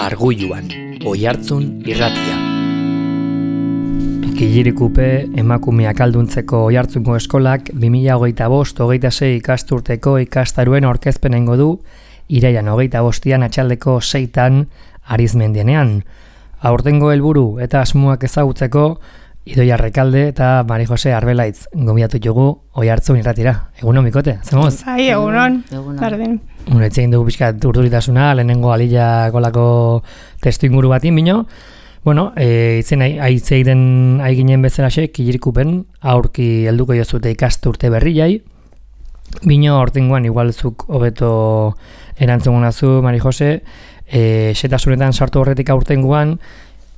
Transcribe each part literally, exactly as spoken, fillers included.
Argulluan, Oihartzun irratia. Kilirikupe emakumeak alduntzeko Oihartzungo eskolak bi mila hogeita bost hogeita sei ikasturteko ikastaruen aurkezpenengo du iraian hogeita bostian atxaldeko seitan Arizmendienean. Aurtengo helburu eta asmoak ezagutzeko Idoia Rekalde eta Mari Jose Arbelaitz gonbidatu dugu Oihartzun irratira. Egunon, Mikote, zemoz? Bai, egunon, berdin. Bueno, etxein dugu pixkat urduritasuna, lehenengo alila kolako testu inguru batin, bino. Bueno, e, itzen aitzeiden aiginen bezalaxe, Kilirikupen aurki helduko jozute ikasturte berriai. Bino, hortengoan igualzuk hobeto erantzun nazu, Mari Jose, e, setasunetan sartu horretik aurtengoan,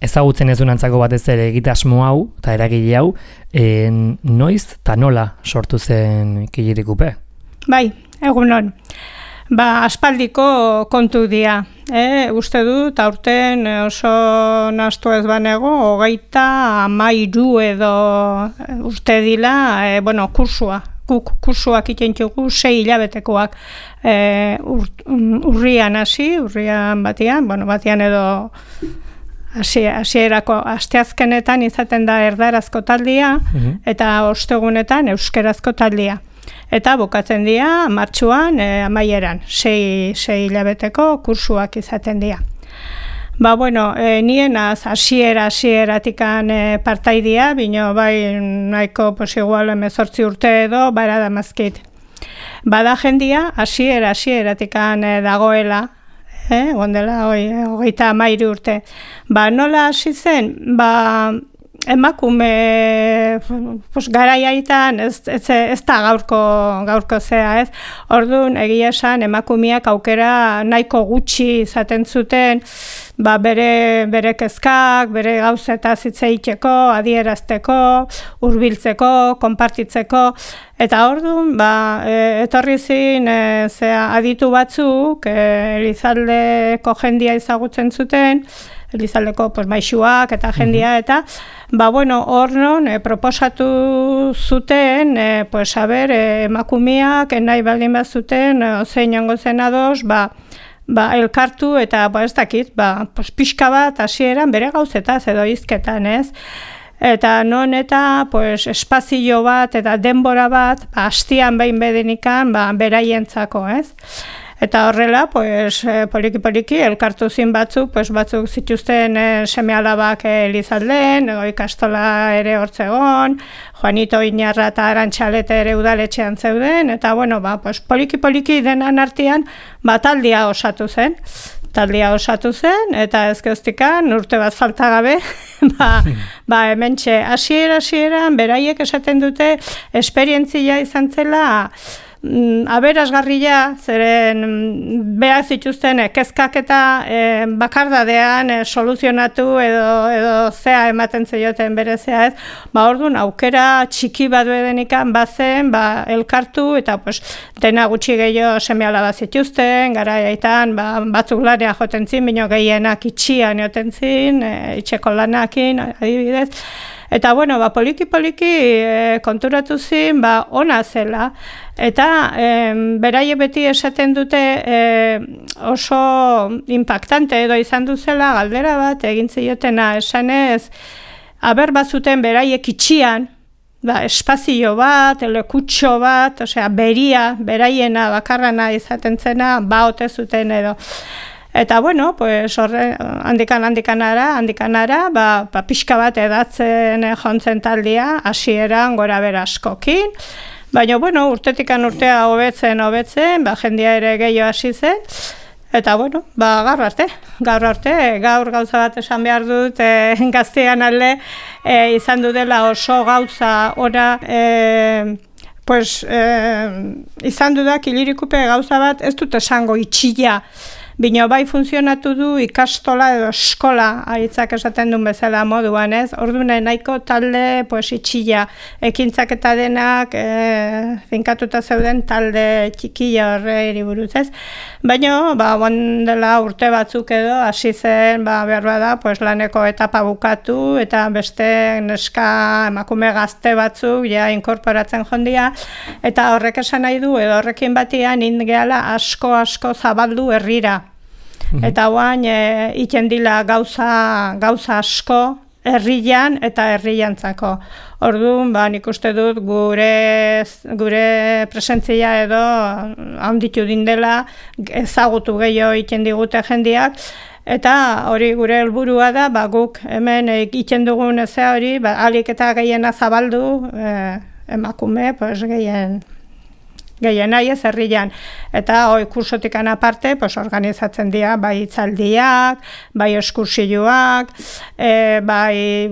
ezagutzen ez dunantzako batez ere egitasmo hau, eta eragile hau, e, noiz eta nola sortu zen Kilirikupe? Bai, egunon. Ba, aspaldiko kontu dia. E, uste dut, aurten oso nastu ez banego, hogeita hamairu edo uste dila, e, bueno, kursua. Guk kursuak itentzugu sei hilabetekoak e, ur, urrian hasi, urrian batian, bueno, batian edo hasierako asteazkenetan izaten da erdarazko taldia, mm-hmm. eta ostegunetan euskerazko taldia. Eta bukatzen dira martxuan e, amaieran, sei, sei hilabeteko kursuak izaten dira. Ba, bueno, e, nien az hasiera hasieratikan e, partaidia, bino bai nahiko pues igual hemezortzi urte edo bara damazkit. Bada jendia hasiera hasieratikan e, dagoela, eh, gondela hogeita hamairu urte. Ba, nola hasi zen? Ba, emakume pues, garaiaitan ez, ez, ez da gaurko, gaurko zea, ez? Orduan, egia esan, emakumeak aukera nahiko gutxi izaten zuten, ba, bere, bere kezkak, bere gauzetaz hitz egiteko, adierazteko, hurbiltzeko, konpartitzeko, eta orduan, ba, e, etorri zin, e, zea, aditu batzuk, e, Elizaldeko jendia ezagutzen zuten, Elizaldeko pues, maisuak eta jendia, eta, ba, bueno, hor non, e, proposatu zuten, e, pues, a ber, e, emakumeak, nahi baldin bat zuten, e, zein jango zen ados, ba, ba, elkartu eta, ba, ez dakit, ba, pues, pixka bat hasieran bere gauzetaz edo hizketan, ez? Eta non eta, pues, espazio bat eta denbora bat, ba, hastian behin bedenikan, ba, beraientzako, ez? Eta horrela, pues, poliki-poliki, elkartu zin batzuk, pues, batzuk zituzten eh, seme-alabak Elizalden, ego ikastola ere hortzegon, Juanito Iñarra eta Arantxalete ere udaletxean zeuden, eta, bueno, ba, pues, poliki-poliki denan artean, ba, taldia osatu zen. Taldia osatu zen, eta ezkeztikan, urte bat falta gabe, ba, ba, hementxe, hasiera-hasieran, beraiek esaten dute, esperientzia izan zela, aberasgarria, zeren behar zituzten kezkak eta e, bakardadean e, soluzionatu edo, edo zea ematen zeioten bere zea ez, ba orduan aukera txiki bat bedenikan bazen, ba elkartu eta pues, dena gutxi gehiago seme-alaba zituzten, garaiaitan ba, batzuk lanea joten zin, bino gehienak itxian joten zin, e, itxeko lanakin, adibidez. Eta, bueno, ba, poliki-poliki e, konturatu zin, ba, ona zela. Eta, e, beraie beti esaten dute e, oso impactante edo izan duzela galdera bat, egin ziotena esanez, aber bazuten beraiek itxian, ba, espazio bat, lekutxo bat, osea, beria, beraiena, bakarrana izaten zena, ba, ote zuten edo. Eta, bueno, pues, horre, handikan, handikanara, handikanara, ba, ba, pixka bat edatzen jontzen taldia, hasieran gora bera askokin. Baina, bueno, urtetikan urtea hobetzen, hobetzen, ba, jendia ere gehiago hasi zen. Eta, bueno, ba, gaur arte, gaur arte, gaur gauza bat esan behar dut, e, gaztean alde, e, izan dudela oso gauza ora, e, pues, e, izan dudak Kilirikupe gauza bat, ez dut esango itxila, bino bai funtzionatu du ikastola edo eskola, aitzak esaten duen bezala moduan, ez? Orduan nahiko talde pues, itxila, ekintzak eta denak e, finkatuta zeuden talde txikila horre buruz, ez? Baina, ba, dela urte batzuk edo, hasi zen, ba, behar bada, pues, laneko etapa bukatu, eta beste neska emakume gazte batzuk, ja, inkorporatzen jondia, eta horrek esan nahi du, edo horrekin batian, ingeala asko-asko zabaldu herrira. Eta oain e, iten dila gauza, gauza asko herrian eta herriantzako. Orduan, ba, nik uste dut gure, gure presentzia edo handitu dindela ezagutu gehiago iten digute jendiak, eta hori gure helburua da, ba, guk hemen egiten dugun ezea hori, ba, alik eta gehiena zabaldu, e, emakume, pues, gehien, gehien nahi ez herrian. Eta hoi kursotikan aparte, pues, organizatzen dira, bai itzaldiak, bai eskursioak, e, bai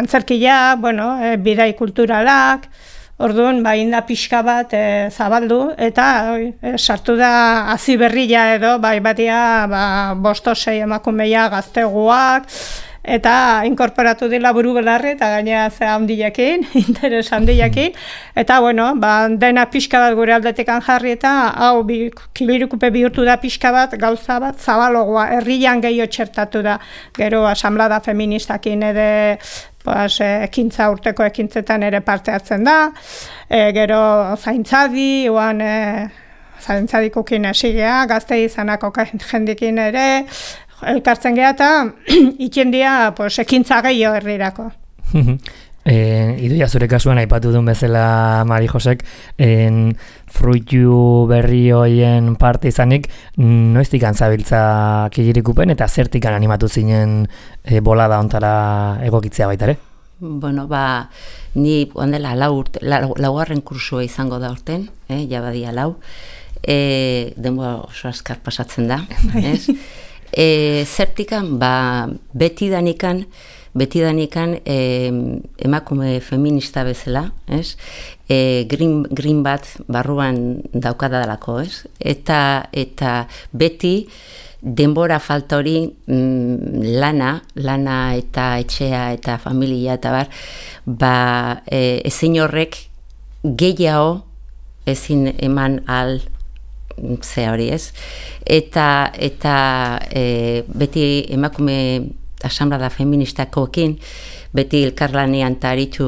antzerkiak, bueno, e, bidai kulturalak. Orduan, ba, inda pixka bat e, zabaldu, eta oi, e, sartu da hazi berria edo, bai batia ba, bostosei emakumeia gazteguak, eta inkorporatu dila buru belarri, eta gainera ze handiakin, interes handiakin, eta bueno, ba, dena pixka bat gure aldetekan jarri, eta hau bi, kibirukupe bihurtu da pixka bat, gauza bat zabalogoa, herrian gehiago txertatu da, gero asamblada feministakin ere, pues, ekintza urteko ekintzetan ere parte hartzen da, e, gero zaintzadi, oan e, zaintzadikukin esigea, gazte izanako jendikin ere, elkartzen geha eta itxendia pues, ekintza gehiago herrirako. e, Idoia zure kasuan aipatu duen bezala Mari Josek, en, fruitu berri hoien parte izanik, noiztik antzabiltza Killirikupen eta zertikan animatu zinen e, bolada ontara egokitzea baita ere? Bueno, ba, ni ondela lau urte, laugarren kursua izango da urten, eh, jabadia lau, e, denboa oso azkar pasatzen da, ez? E, zertikan, ba, betidanikan, betidanikan e, emakume feminista bezala, ez? E, green, green bat barruan daukadalako, ez? Eta, eta beti denbora falta hori mm, lana, lana eta etxea eta familia eta bar, ba, e, ezin horrek gehiago ezin eman al ze hori ez, eta, eta e, beti emakume asamblada feministakoekin, beti elkarlanean eta aritu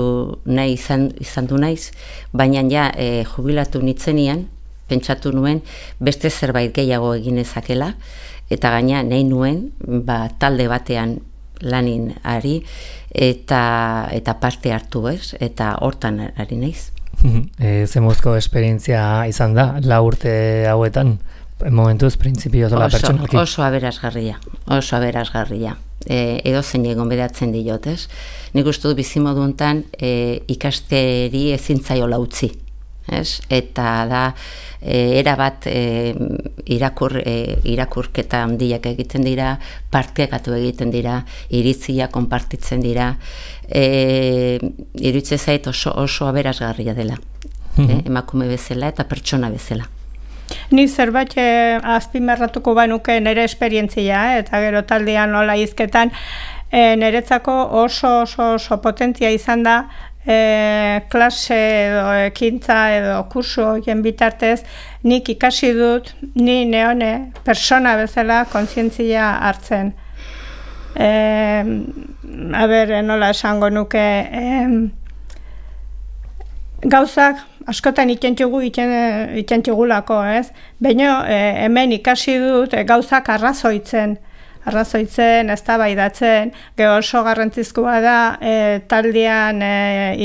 nahi izan, izan du naiz, baina ja e, jubilatu nitzenian, pentsatu nuen beste zerbait gehiago egin ezakela, eta gaina nahi nuen ba, talde batean lanin ari, eta, eta parte hartu ez, eta hortan ari naiz. E, Zemuzko esperientzia izan da, la urte hauetan, momentuz, printzipio zola pertsonalki? Oso aberasgarria, oso aberasgarria. E, edo zein egon bedatzen diot, ez? Nik uste dut bizimoduntan e, ikasteri ezintzaiola utzi, ez? Eta da, e, erabat e, irakur, e, irakurketa handiak egiten dira, partekatu egiten dira, iritzia konpartitzen dira, e, iritze zait oso, oso aberasgarria dela, e, emakume bezala eta pertsona bezala. Ni zerbait eh, azpimarratuko banuke nire esperientzia, eh, eta gero taldean nola hizketan, eh, niretzako oso oso oso potentzia izan da eh, klase edo ekintza edo kurso horien bitartez, nik ikasi dut, ni neone persona bezala kontzientzia hartzen. Eh, a ber, nola esango nuke, eh, gauzak askotan itentxugu itentxugulako, ez? Baina e, hemen ikasi dut e, gauzak arrazoitzen, arrazoitzen, eztabaidatzen, gero oso garrantzizkoa da e, taldean e,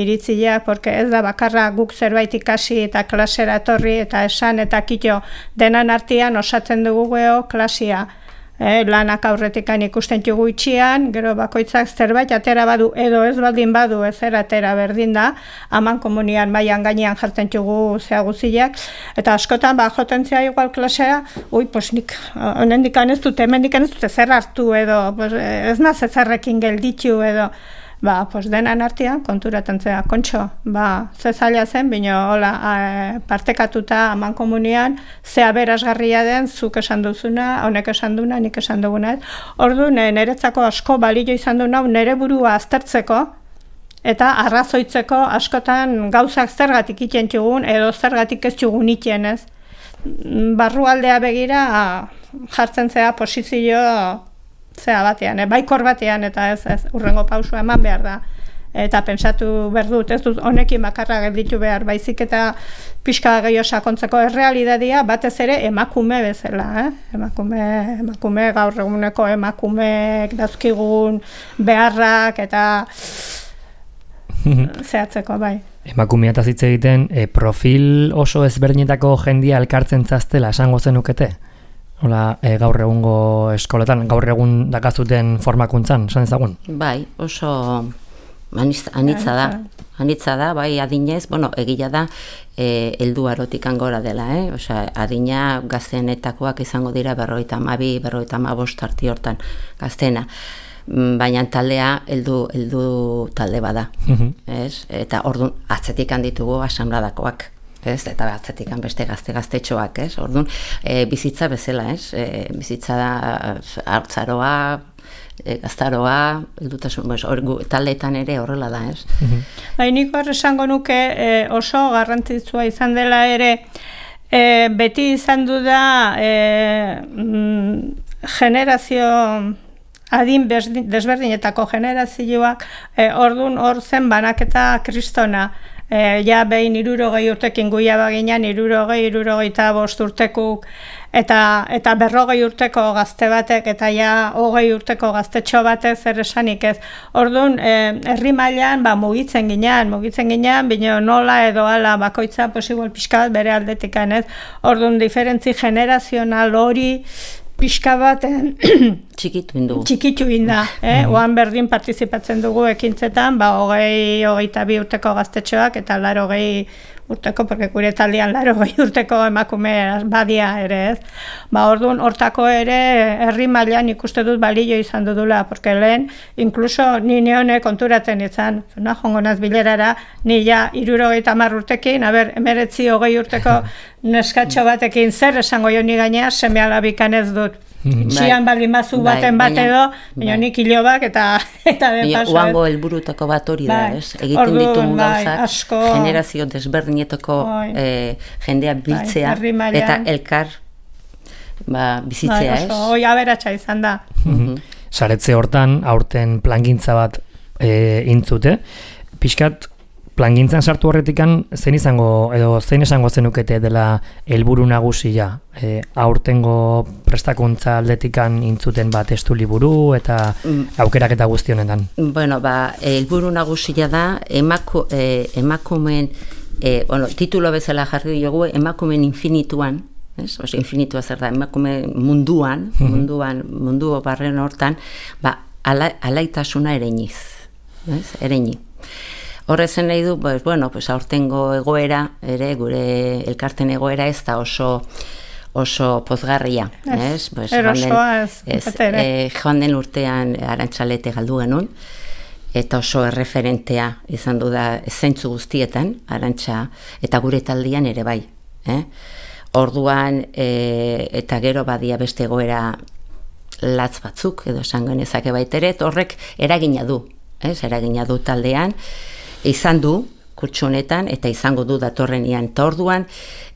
iritzia, porque ez da bakarra guk zerbait ikasi eta klasera etorri eta esan eta kito denan artean osatzen dugu geho klasia. Eh, lanak aurretikan ikusten dugu itxian, gero bakoitzak zerbait atera badu edo ez baldin badu ezer atera berdin da, haman komunian mailan gainean jartzen dugu zea guziak, eta askotan ba, jotentzia igual klasea, ui, pues nik honendik ez dut, hemendik ez dut ezer hartu edo, pues, ez naz ezerrekin gelditu edo, ba, pues denan artean konturatzen zea, kontxo, ba, ze zaila zen, bino, hola, e, partekatuta haman komunian, ze aberasgarria den, zuk esan duzuna, honek esan duna, nik esan duguna. Orduan, niretzako asko balio izan du nau, nire burua aztertzeko, eta arrazoitzeko askotan gauzak zergatik iten txugun, edo zergatik ez txugun iten, ez. Barrualdea begira, jartzen zea posizio zea batean, eh? Baikor batean, eta ez, ez, urrengo pausua eman behar da. eta pentsatu behar dut, ez dut honekin bakarra gelditu behar, baizik eta pixka gehiago sakontzeko errealitatea batez ere emakume bezala, eh? emakume, emakume gaur eguneko emakumeek dauzkigun beharrak eta zehatzeko, bai. Emakumea eta hitz egiten, e, profil oso ezberdinetako jendia elkartzen zaztela esango zenukete? Hola, e, gaur egungo eskoletan, gaur egun dakazuten formakuntzan, esan ezagun? Bai, oso anitza da, anitza da, bai adinez, bueno, egila da, e, heldu arotik angora dela, eh? Osea, adina gazteenetakoak izango dira berrogeita hamabi, berrogeita hamabost arti hortan gazteena. Baina taldea heldu heldu talde bada, ez? Eta ordun atzetik handitugu asanbladakoak, ez? Eta atzetik beste gazte gaztetxoak, ez? Ordun e, bizitza bezala, ez? E, bizitza da hartzaroa, e, gaztaroa, heldutasun, pues, taldeetan ere horrela da, ez? Bai, nik hor esango nuke e, oso garrantzitsua izan dela ere, e, beti izan du da e, mm, generazio adin desberdinetako generazioak, e, ordun hor zen banaketa kristona. E, ja behin hirurogei urtekin guia baginan, hirurogei, hirurogeita bost urtekuk, eta, eta berrogei urteko gazte batek, eta ja hogei urteko gaztetxo batek zer esanik ez. Ordun e, herri mailan ba, mugitzen ginean, mugitzen ginean, bino nola edo ala bakoitza posible pixka bat bere aldetikan ez. Ordun diferentzi generazional hori pixka bat txikitu indu. Txikitu inda, eh? Oan berdin partizipatzen dugu ekintzetan, ba, hogei, hogeita bi urteko gaztetxoak eta laro hogei urteko, porque gure taldean laro hogei urteko emakume badia ere, ez? Ba, orduan, hortako ere herri mailan ikuste dut balio izan dudula, porque lehen, inkluso ni neone konturatzen izan, na, jongo naz bilerara, ni ja hirurogeita hamar urtekin, a ber, emeretzi hogei urteko neskatxo batekin zer esango jo ni gainea, seme alabikan ez dut. Txian baldin bazu baten bat edo, baina nik hilobak eta eta de paso. Oango helburutako bat hori da, ez? Egiten ditugun gauzak, generazio desberdinetako jendea biltzea eta elkar bizitzea, ez? Hoi aberatsa izan da. Saretze hortan, aurten plangintza bat intzute, pixkat plangintzan sartu horretikan, zein izango, edo zein esango zenukete dela helburu nagusia, e, aurtengo prestakuntza aldetikan intzuten bat testu liburu eta aukerak eta guzti honetan? Bueno, ba, helburu nagusia da, emaku, e, emakumen, e, bueno, titulo bezala jarri diogu, emakumen infinituan, ez? Oso, infinitua zer da, emakume munduan, munduan, mundu barren hortan, ba, ala, alaitasuna ereiniz, ez? Ereini. Horrezen nahi du, pues, bueno, pues, aurtengo egoera, ere, gure elkarten egoera ez da oso oso pozgarria. Ez, pues, erosoa ez. ez e, joan den urtean Arantxalete galdu genuen, eta oso erreferentea izan du da zeintzu guztietan, Arantxa, eta gure taldean ere bai. Eh? Orduan, e, eta gero badia beste egoera latz batzuk, edo esan genezake baitere, horrek eragina du, ez, eragina du taldean, izan du, kurtsu honetan, eta izango du datorrenian. Eta orduan,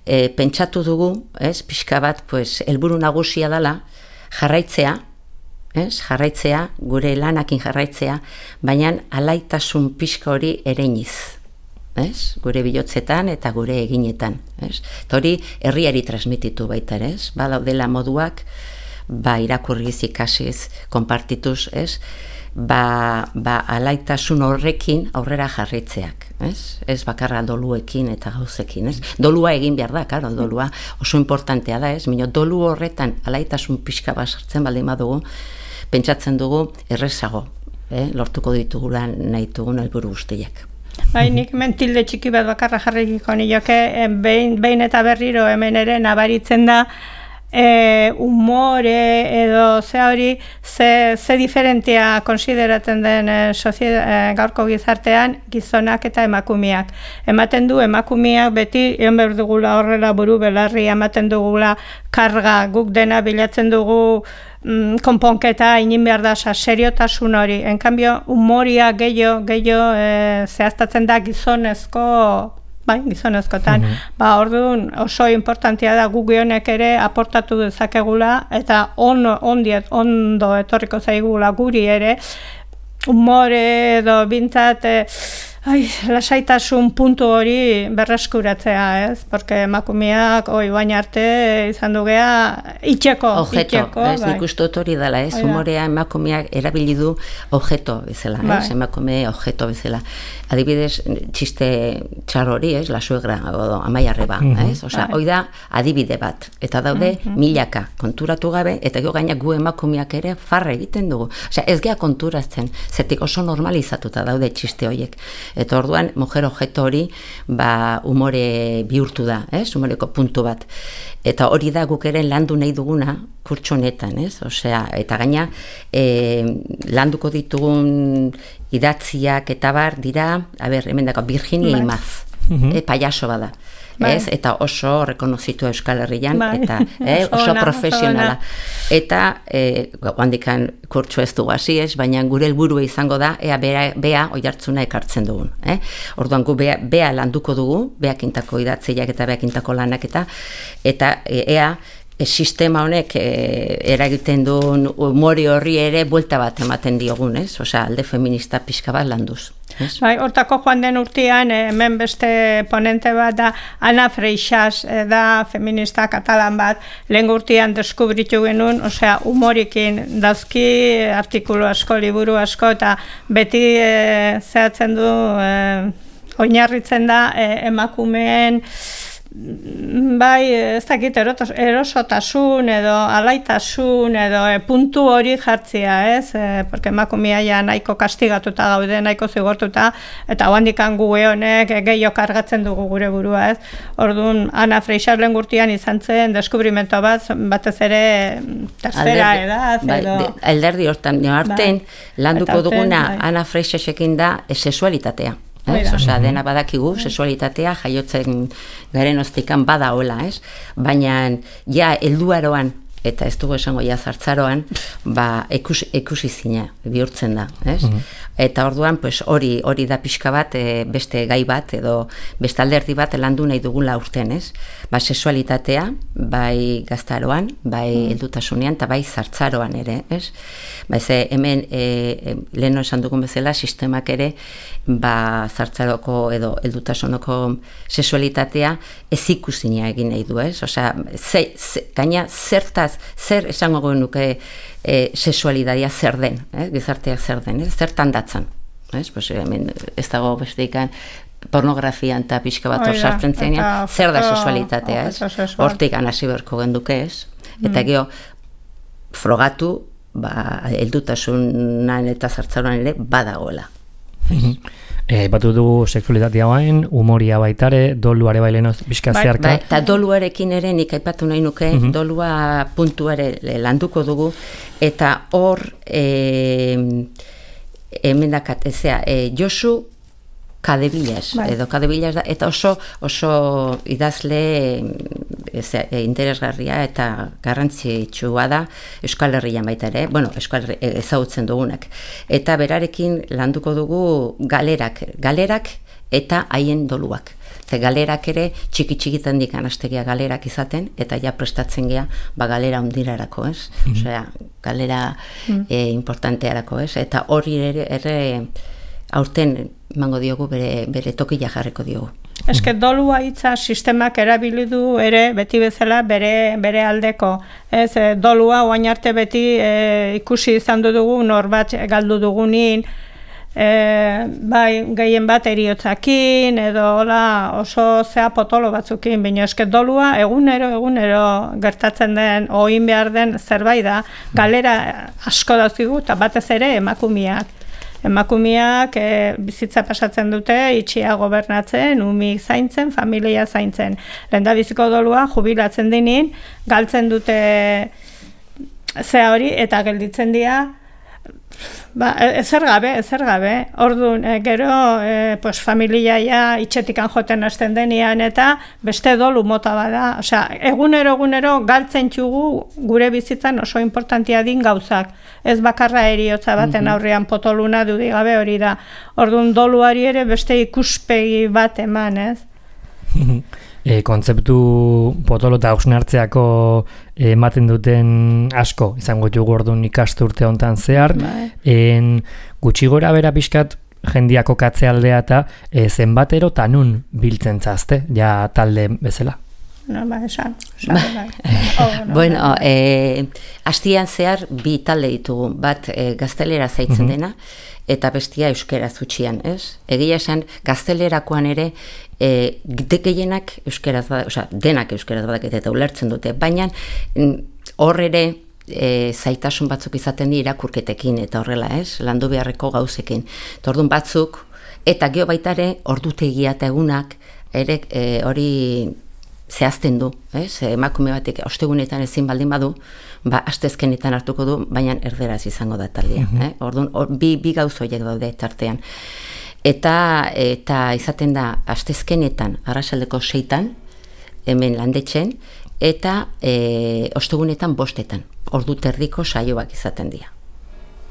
e, pentsatu dugu, ez, pixka bat, pues, helburu nagusia dela, jarraitzea, ez, jarraitzea, gure lanakin jarraitzea, baina alaitasun pixka hori ereiniz, ez, gure bilotzetan eta gure eginetan, ez. Eta hori, herriari transmititu baita, ez, badaudela moduak, ba, irakurriz ikasiz, konpartituz, ez, ba, ba alaitasun horrekin aurrera jarritzeak, ez? Ez bakarra doluekin eta gauzekin, ez? Dolua egin behar da, karo, dolua oso importantea da, ez? Mino, dolu horretan alaitasun pixka bat sartzen baldin badugu, pentsatzen dugu errezago, eh? Lortuko ditugula nahi dugun helburu guztiak. Bai, nik mentilde txiki bat bakarra jarrikiko nioke, behin, behin eta berriro hemen ere nabaritzen da, E, umore edo ze hori ze, ze diferentia konsideratzen den e, sozieda, e, gaurko gizartean gizonak eta emakumeak. Ematen du emakumeak beti egon behar dugula horrela buru belarri, ematen dugula karga, guk dena bilatzen dugu mm, konponketa inin behar da seriotasun hori. En cambio, umoria gehiago gehiago e, zehaztatzen da gizonezko bai, gizonezkotan. Mm-hmm. Ba, orduan oso importantea da guk honek ere aportatu dezakegula eta on, ondiet, ondo etorriko zaigula guri ere umore edo bintzat, e, ai, lasaitasun puntu hori berreskuratzea, ez? Porque emakumeak, oi, baina arte izan dugea, itxeko, objeto, itxeko. Ez, nik uste dut hori dela, ez? Humorea emakumeak erabili du objeto bezala, bai. ez? Emakume objeto bezala. Adibidez, txiste txar hori, ez? La suegra, o Amaia Arreba, Mm-hmm. ez? Osea, hoi da adibide bat. Eta daude Mm-hmm. milaka konturatu gabe, eta gero gaina gu emakumeak ere farre egiten dugu. Osea, ez gea konturatzen, zetik oso normalizatuta daude txiste horiek. Eta orduan, mujer objeto hori, ba, umore bihurtu da, ez? Umoreko puntu bat. Eta hori da guk ere landu nahi duguna kurtso honetan, ez? Osea, eta gaina, e, landuko ditugun idatziak eta bar dira, a ber, hemen dako, Virginia Bai. Imaz, Mhm. e, payaso bada. Bai. Ez? Eta oso rekonozitu Euskal Herrian, Bai. eta eh, Oso oso ona, oso profesionala. ona. Eta, eh, handikan kurtso ez dugu hasi ez, baina gure helburua izango da, ea bea, bea oihartzuna ekartzen dugun. Eh? Orduan gu bea, bea landuko dugu, beakintako idatziak eta beakintako lanak eta, eta e, ea, e, sistema honek e, eragiten duen umori horri ere buelta bat ematen diogun, ez? Osea, alde feminista pixka bat landuz. Ez? Bai, hortako joan den urtean, eh, hemen beste ponente bat da, Ana Freixas, eh, da feminista katalan bat, lehen urtean deskubritu genuen, osea, humorikin dazki, artikulu asko, liburu asko, eta beti eh, zehatzen du, eh, oinarritzen da eh, emakumeen, bai, ez dakit, erotos, erosotasun edo alaitasun edo e, puntu hori jartzia, ez? E, porque emakumea ja nahiko kastigatuta gaude, nahiko zigortuta, eta handikan gu honek e, gehiago kargatzen dugu gure burua, ez? Orduan, Ana Freixas lehen urtean izan zen deskubrimento bat, batez ere tercera edad, bai, edo... de, alderdi hortan, aurten Bai. landuko Eta aurten, duguna bai. Ana Freixasekin da e, sexualitatea. Ez? Oida. Osea, dena badakigu, sexualitatea jaiotzen garen ostikan bada hola, ez? Baina, ja, helduaroan, eta ez dugu esango ja zartzaroan, ba, ikusi, ikusi zina bihurtzen da, ez? Eta orduan, pues, hori hori da pixka bat, e, beste gai bat, edo beste alderdi bat landu nahi dugula urten, ez? Ba, sexualitatea, bai gaztaroan, bai heldutasunean, eta bai zartzaroan ere, ez? Ba, ze, hemen, e, leheno esan dugun bezala, sistemak ere, ba, zartzaroko edo heldutasunoko sexualitatea ez ikusina egin nahi du, ez? Osea, ze, ze, gaina zertaz, zer esango genuke e, sexualitatea zer den, eh? Gizarteak zer den, ez? Zertan datzan, ez? Pues, hemen, ez dago besteikan pornografian eta pixka bat hor Oida, sartzen zenean, eta zer da foto- sexualitatea, ez? objeto sexual. Hortik hasi beharko genduke, ez? Eta gero, frogatu, ba, heldutasunan eta zartzaroan ere badagoela. Eh, batu dugu sexualitatea bain, humoria baitare, doluare baileno bizka Bai, zeharka. Bai, eta doluarekin ere nik aipatu nahi nuke, dolua puntu ere landuko dugu, eta hor, e, emendakat, ezea, e, Josu Kadebillas, Bai. edo Kadebillas da, eta oso, oso idazle ezea, e, interesgarria eta garrantzitsua da Euskal Herrian baita ere, bueno, Euskal Herri, ezagutzen dugunak. Eta berarekin landuko dugu galerak, galerak eta haien doluak. Ze galerak ere txiki-txikitan dikan astegia galerak izaten, eta ja prestatzen gea, ba galera hundirarako, ez? Osea, galera e, importantearako, ez? Eta hori ere, ere aurten emango diogu bere, bere tokila jarriko diogu. Eske dolua hitza sistemak erabili du ere beti bezala bere bere aldeko. Ez e, dolua orain arte beti e, ikusi izan dugu norbat galdu dugunin, e, bai gehien bat eriotzakin edo hola oso zea potolo batzukin, baina eske dolua egunero egunero gertatzen den oin behar den zerbait da. Galera asko dauzkigu eta batez ere emakumeak. Emakumeak e, bizitza pasatzen dute, itxia gobernatzen, umik zaintzen, familia zaintzen. Lehendabiziko dolua jubilatzen dinin, galtzen dute zea hori eta gelditzen dira, ba, ezer gabe, ezer gabe. Orduan, e, gero, e, pues, familia ja itxetikan joten hasten denean eta beste dolu mota bada. Osea, egunero, egunero galtzen txugu gure bizitzan oso importantia din gauzak. Ez bakarra eriotza baten aurrean potoluna dudik gabe hori da. Orduan, doluari ere beste ikuspegi bat eman, ez? e, kontzeptu potolo eta hausnartzeako ematen duten asko, izango dugu orduan ikasturte hontan zehar, en, gutxi gora bera pixkat jendiako katzealdea eta e, zenbatero eta nun biltzen zazte, ja talde bezala. No, ba, esan. esan oh, no, bueno, eh, astian zehar bi talde ditugu, bat eh, gaztelera zaitzen uh-huh. dena, eta bestia euskera zutxian, ez? Egia esan, gaztelerakoan ere, eh, gehienak euskeraz bada, osea, denak euskeraz badakete eta ulertzen dute, baina hor ere e, zaitasun batzuk izaten di irakurketekin eta horrela, ez? Landu beharreko gauzekin. Tordun batzuk, eta geho baita ere, ordutegia eta egunak, ere e, hori zehazten du, ez? Emakume batek ostegunetan ezin baldin badu, ba, astezkenetan hartuko du, baina erderaz izango da taldea. Mm-hmm. eh? Orduan, or, bi, bi gauz horiek daude tartean. Eta, eta izaten da, astezkenetan, arratsaldeko seitan, hemen landetxen, eta e, ostegunetan bostetan. Ordu terdiko saioak izaten dira.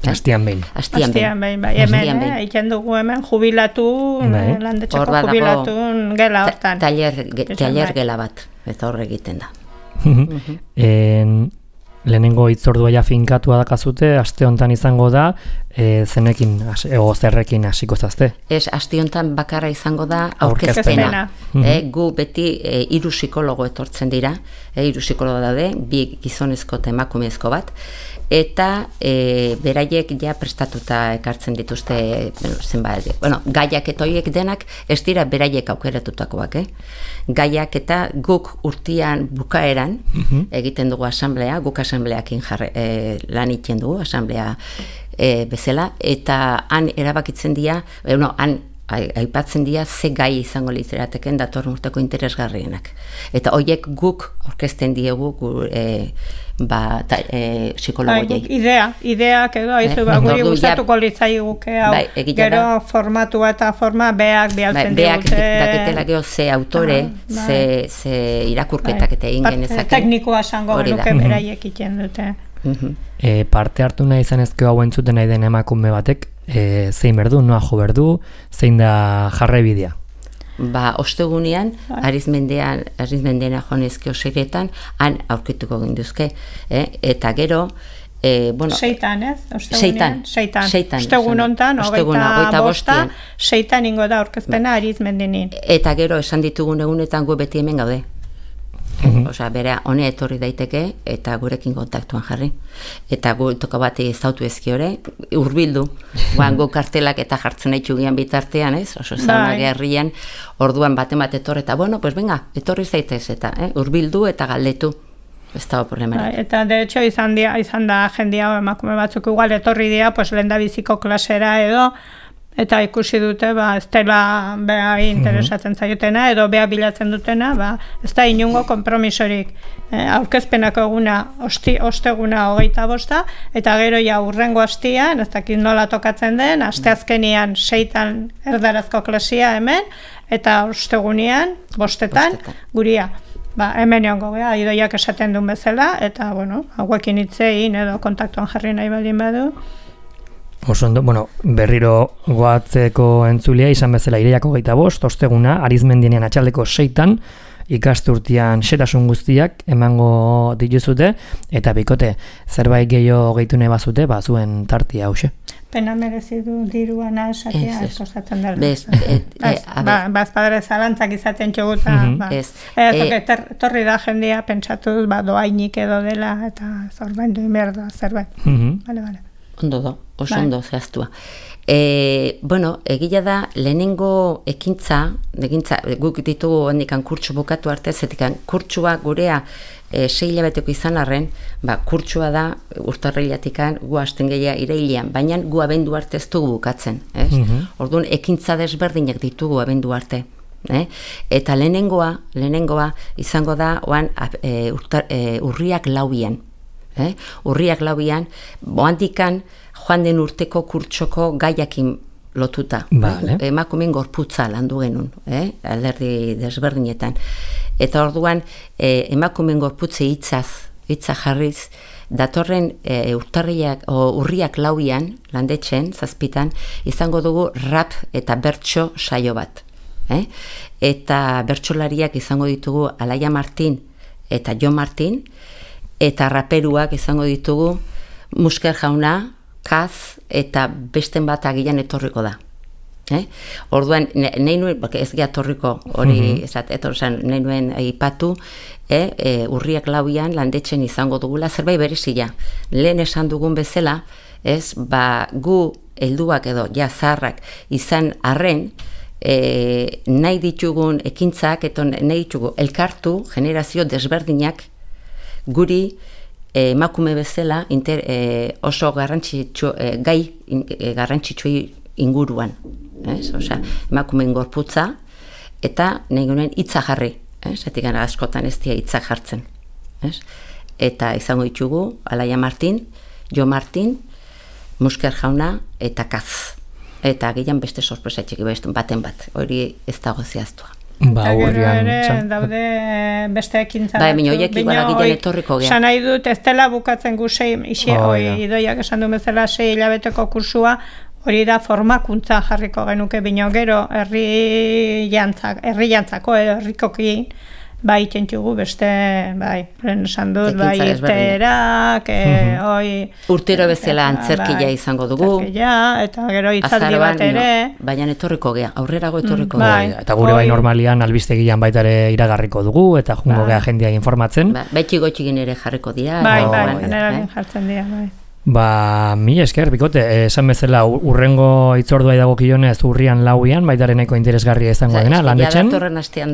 Astian behin. Astian behin, bai. Hemen, eh, egiten dugu hemen, jubilatu, bai. Landetxeko jubilatu gela hortan. Taller, ge, taller gela bat, eta horre egiten da. uh-huh. en, lehenengo hitzordua ja finkatua dakazute, aste hontan izango da, e, zenekin, ego zerrekin hasiko zazte. Ez, aste hontan bakarra izango da aurkezpena. Uh-huh. E, gu beti e, hiru psikologo etortzen dira, e, hiru psikologo daude, bi gizonezko eta emakumezko bat, eta e, beraiek ja prestatuta ekartzen dituzte zenbat, bueno, gaiak eta horiek denak ez dira beraiek aukeratutakoak, eh? Gaiak eta guk urtean bukaeran uh-huh. egiten dugu asamblea, guk asambleakin jarre, e, lan egiten dugu, asamblea e, bezala, eta han erabakitzen dira, e, no, han aipatzen dira ze gai izango litzerateken datorren urteko interesgarrienak. Eta horiek guk aurkezten diegu gu, e, ba, ta, e, psikologoiei. Idea, ideak edo, aizu, eh? ba, guri gustatuko litzaiguke hau, bai, gero da, formatua eta forma beak bialtzen bai, beak digute. Beak daketela geho ze autore, ah, bai. ze, ze irakurketak bai. Eta egin genezake. Teknikoa esango genuke beraiek iten dute. Uh-huh. E, parte hartu nahi izanezko hau entzuten nahi den emakume batek, e, zein berdu, noa jo berdu, zein da jarraibidea? Ba, ostegunean, arizmendean, arizmendean jonezke oseretan, han aurkituko ginduzke, eh? Eta gero, e, bueno, seitan, ez? Seitan, seitan. Seitan. Ostegun hontan, hogeita bosta, seitan ingo da aurkezpena arizmendenin. Eta gero, esan ditugun egunetan gu beti hemen gaude. Mm-hmm. Osea, bera, honea etorri daiteke eta gurekin kontaktuan jarri. Eta gu toka bat ezautu ezkiore, hurbildu. Guan gu kartelak eta jartzen nahi txugian bitartean, ez? Oso zauna gerrian, orduan bate bat etorri eta, bueno, pues venga, etorri zaitez eta, eh? Hurbildu eta galdetu. Ez da problemarik. Eta, de hecho, izan, dia, izan da jendia emakume batzuk igual etorri dira, pues lehen da biziko klasera edo, eta ikusi dute, ba, ez dela beha interesatzen zaiotena, edo beha bilatzen dutena, ba, ez da inungo konpromisorik. E, aurkezpenako eguna, osti, osteguna hogeita bosta, eta gero ja urrengo hastian, ez dakit nola tokatzen den, asteazkenian seitan erdarazko klasia hemen, eta ostegunean, bostetan, bostetan. Guria. Ba, hemen egongo geha, idoiak esaten duen bezala, eta, bueno, hauekin hitzein edo kontaktuan jarri nahi baldin badu. Oso ondo, bueno, berriro goatzeko entzulia izan bezala ireiako geita bost, osteguna, arizmendienean atxaldeko seitan, ikasturtian xetasun guztiak emango dituzute, eta bikote, zerbait gehiago gehitu nahi bazute, ba, zuen tartia hause. Pena merezi du diruana esatea, ez kostatzen dela. Bez, bazpadere zalantzak izaten txoguta, ba. Torri da jendia pentsatuz, ba, doainik edo dela, eta zorbaindu imerda zerbait. Bale, bale. Ondo do, oso ondo zehaztua. E, bueno, egila da, lehenengo ekintza, egintza, guk ditugu hendikan kurtsu bukatu arte, zetikan kurtsua gurea e, sei hilabeteko izan arren, ba, kurtsua da urtarrilatikan gu hasten gehiago irailean, baina gu abendu arte ez dugu bukatzen. Ez? Mm-hmm. Orduan, ekintza desberdinak ditugu abendu arte. Eh? Eta lehenengoa, lehenengoa izango da, oan, e, urtar, e, urriak lauian. Eh? Urriak lauian, boandikan joan den urteko kurtsoko gaiakin lotuta. Vale. Eh? Emakumeen gorputza landu genuen, eh? Alderdi desberdinetan. Eta orduan, eh, emakumeen gorputze hitzaz, hitza jarriz, datorren e, urtarriak, o, urriak lauian, landetxen, zazpitan, izango dugu rap eta bertso saio bat. Eh? Eta bertsolariak izango ditugu Alaia Martin eta Jo Martin, eta raperuak izango ditugu Musker Jauna, Kaz, eta besten bat agian etorriko da. Eh? Orduan, nahi nuen, ez gehatorriko hori, mm-hmm. ezat, etorzen, nahi nuen aipatu, eh? e, urriak lauian landetzen izango dugula, zerbait berezia. Lehen esan dugun bezala, ez, ba, gu helduak edo ja zaharrak izan arren, e, nahi ditugun ekintzak, eta nahi ditugu elkartu generazio desberdinak guri e, emakume bezala inter, e, oso garrantzitsu, e, gai e, garrantzitsu inguruan. Ez? Osea, emakumeen gorputza eta nahi gunen hitza jarri. Zetik gara askotan ez dira hitza jartzen. Ez? Eta izango ditugu Alaia Martin, Jo Martin, Musker Jauna eta Kaz. Eta gehian beste sorpresa txiki baten bat. Hori ez dago zehaztua. Ba, urrian daude beste ekintza. Ba, minio, horiek igual agian etorriko gea. Esan nahi dut, ez dela bukatzen gu sei, isi, oh, oi, idoiak esan du bezala sei hilabeteko kursua, hori da formakuntza jarriko genuke bino gero herri jantzak, herri jantzako edo herrikoki bai txentxugu beste, bai, lehen esan dut, bai irteerak, e, oi... Urtero bezala antzerkia bai, izango dugu. Antzerkia, eta gero hitzaldi bat ere. No, baina etorriko gea, aurrerago etorriko mm, bai, gea. Eta gure bai normalian albistegian baita ere iragarriko dugu, eta jungo bai. Gea jendia informatzen. Ba, baitxi gotxigin ere jarriko dira. Bai, o, bai, bai, generalin eh? jartzen dira, bai. Ba, mi esker, bikote, esan bezala urrengo itzordua idagokionez urrian lauian, baitaren nahiko interesgarria izango dena, landetzen.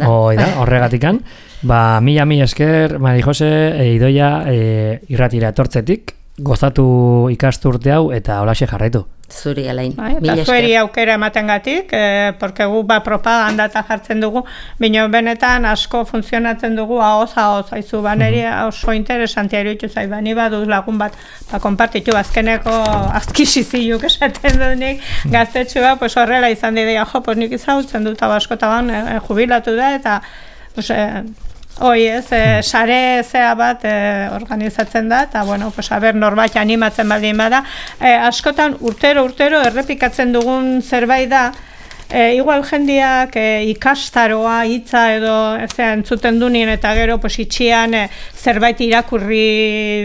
Hoi da, horregatikan. Ba, mila mi esker, Mari Jose, e, Idoia, e, irratira etortzetik, gozatu ikasturte hau eta holaxe jarraitu. Zuri alain. Bai, eta zueri aukera ematen gatik, eh, porque gu ba propaganda eta jartzen dugu, bino benetan asko funtzionatzen dugu ahoz ahoz, haizu baneri oso interesantia iruditu zait, bani baduz lagun bat, ba, konpartitu azkeneko azkisiziluk esaten dut nik, gaztetxua, pues horrela izan didea, jo, pues nik izautzen dut abaskotaban eh, jubilatu da, eta pues, eh, hoi ez, e, sare zea bat e, organizatzen da, eta bueno, pues, aber norbait animatzen baldin bada. E, askotan urtero, urtero errepikatzen dugun zerbait da, e, igual jendiak e, ikastaroa, hitza edo ezea, entzuten dunien eta gero pues, itxian e, zerbait irakurri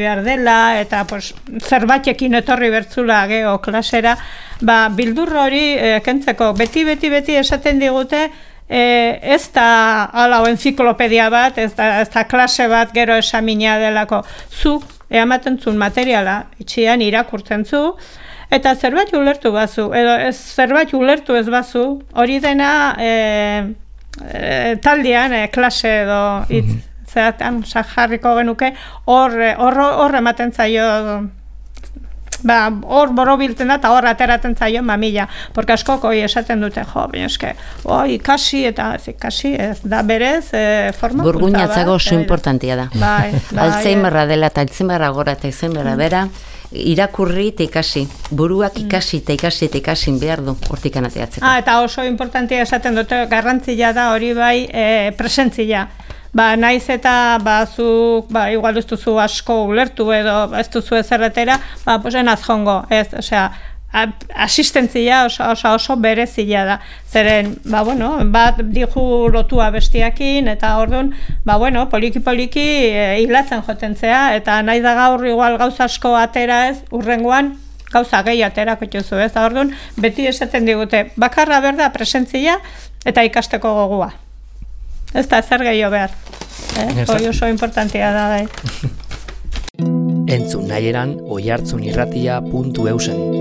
behar dela, eta pues, zerbaitekin etorri bertzula geho klasera, ba, bildur hori e, kentzeko, beti, beti, beti esaten digute, E, ez da ala o enziklopedia bat, ez da, ez da klase bat gero esamina delako. Zuk ematen zuen materiala, itxian irakurtzen zu, eta zerbait ulertu bazu, edo ez, zerbait ulertu ez bazu, hori dena e, e, taldean e, klase edo hitz, mm-hmm. zeratan jarriko genuke, hor, hor, hor ematen zaio, ba, hor borobiltzen da, eta hor ateratzen zaio mamila, porque askok hoi esaten dute, jo, baina eske, oi, ikasi, eta ez ikasi, ez da berez, e, formakuntza bat. Burguñatzago oso importantia da. Bai, bai. Alzheimerra dela, eta Alzheimerra gora, eta Alzheimerra bera, irakurri eta ikasi, buruak ikasi eta ikasi eta ikasi behar du hortikan ateatzeko. Ah, eta oso importantia esaten dute, garrantzia da hori bai e, presentzia. Ba, naiz eta bazuk, ba, igual ez duzu asko ulertu edo ez duzu ezerretera, ba, posen azjongo, ez, osea, asistentzia oso, oso, oso berezia da. Zeren, ba, bueno, bat dihu lotua bestiakin, eta orduan, ba, bueno, poliki-poliki e, hilatzen joten zea, eta nahi da gaur igual gauza asko atera ez, urrengoan, gauza gehi aterako txuzu, ez, da orduan, beti esaten digute, bakarra berda presentzia eta ikasteko gogua. Ez da, zer gehiago behar. Eh? Hoi oso importantia da. Entzun nahi eran oihartzunirratia puntu eusen.